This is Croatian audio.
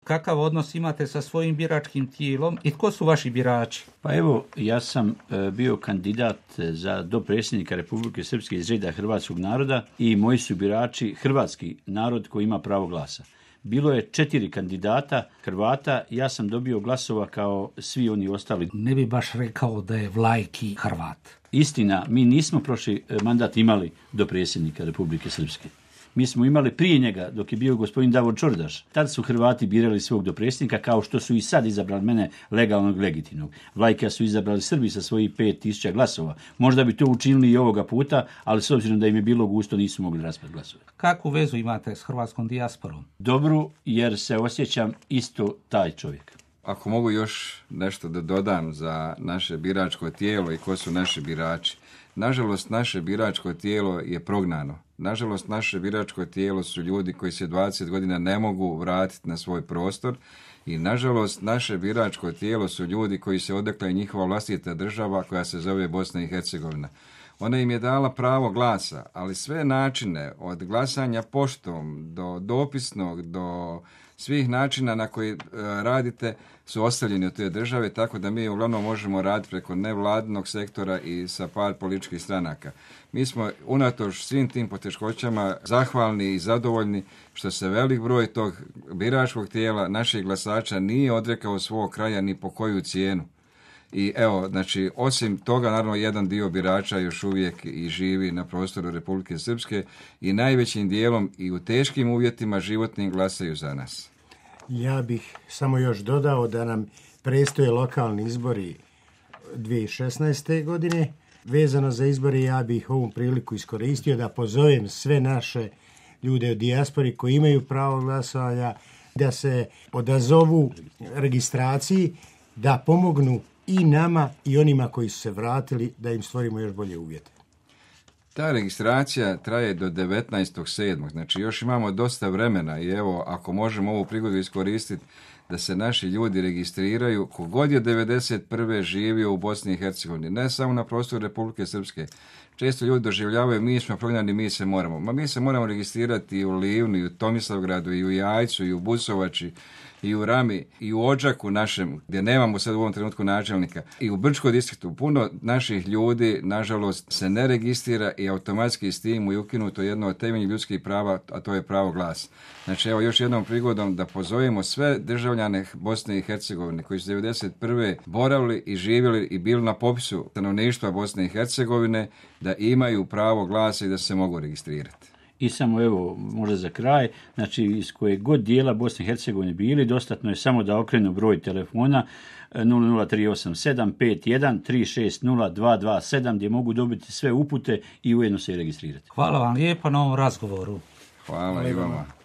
Kakav odnos imate sa svojim biračkim tijelom i tko su vaši birači? Pa evo, ja sam bio kandidat za dopredsjednika Republike Srpske iz reda hrvatskog naroda i moji su birači hrvatski narod koji ima pravo glasa. Bilo je 4 kandidata Hrvata, ja sam dobio glasova kao svi oni ostali. Ne bi baš rekao da je Vlajki Hrvat. Istina, mi nismo prošli mandat imali dopredsjednika Republike Srpske. Mi smo imali prije njega, dok je bio gospodin Davor Čordaš. Tad su Hrvati birali svog dopredsjednika, kao što su i sad izabrali mene legalnog, legitimnog. Vlajka su izabrali Srbi sa svojih 5000 glasova. Možda bi to učinili i ovoga puta, ali s obzirom da im je bilo gusto, nisu mogli raspred glasove. Kakvu vezu imate s hrvatskom dijasporom? Dobru, jer se osjećam isto taj čovjek. Ako mogu još nešto da dodam za naše biračko tijelo i ko su naši birači. Nažalost, naše biračko tijelo je prognano. Nažalost, naše biračko tijelo su ljudi koji se 20 godina ne mogu vratiti na svoj prostor i nažalost, naše biračko tijelo su ljudi koji se odrekla i njihova vlastita država koja se zove Bosna i Hercegovina. Ona im je dala pravo glasa, ali sve načine od glasanja poštom do dopisnog, do svih načina na koji radite su ostavljeni od te države, tako da mi uglavnom možemo raditi preko nevladinog sektora i sa par političkih stranaka. Mi smo unatoč svim tim poteškoćama zahvalni i zadovoljni što se velik broj tog biračkog tijela naših glasača nije odrekao svog kraja ni po koju cijenu. I evo, znači, osim toga, naravno, jedan dio birača još uvijek i živi na prostoru Republike Srpske i najvećim dijelom i u teškim uvjetima životnim glasaju za nas. Ja bih samo još dodao da nam predstoje lokalni izbori 2016. godine. Vezano za izbore, ja bih ovu priliku iskoristio da pozovem sve naše ljude u dijaspori koji imaju pravo glasovanja da se odazovu registraciji, da pomognu i nama i onima koji su se vratili, da im stvorimo još bolje uvjete. Ta registracija traje do 19.7. Znači još imamo dosta vremena i evo ako možemo ovu prigodu iskoristiti da se naši ljudi registriraju, kogod je 1991. živio u Bosni i Hercegovini, ne samo na prostoru Republike Srpske. Često ljudi doživljavaju mi smo prognani, mi se moramo. Ma mi se moramo registrirati i u Livnu, i u Tomislavgradu, i u Jajcu, i u Busovači, i u Rami, i u Odžaku našem, gdje nemamo sad u ovom trenutku načelnika, i u Brčkom distriktu. Puno naših ljudi, nažalost, se ne registrira i automatski s tim je ukinuto jedno od temeljnih ljudskih prava, a to je pravo glasa. Znači, evo još jednom prigodom da pozovemo sve državljane Bosne i Hercegovine koji su 1991. boravili i živjeli i bili na popisu stanovništva Bosne i Hercegovine, da imaju pravo glasa i da se mogu registrirati. I samo evo, možda za kraj, znači iz kojeg god dijela Bosne i Hercegovine bili, dostatno je samo da okrenu broj telefona 00387 51 360 227 gdje mogu dobiti sve upute i ujedno se i registrirati. Hvala vam lijepo na ovom razgovoru. Hvala i vama.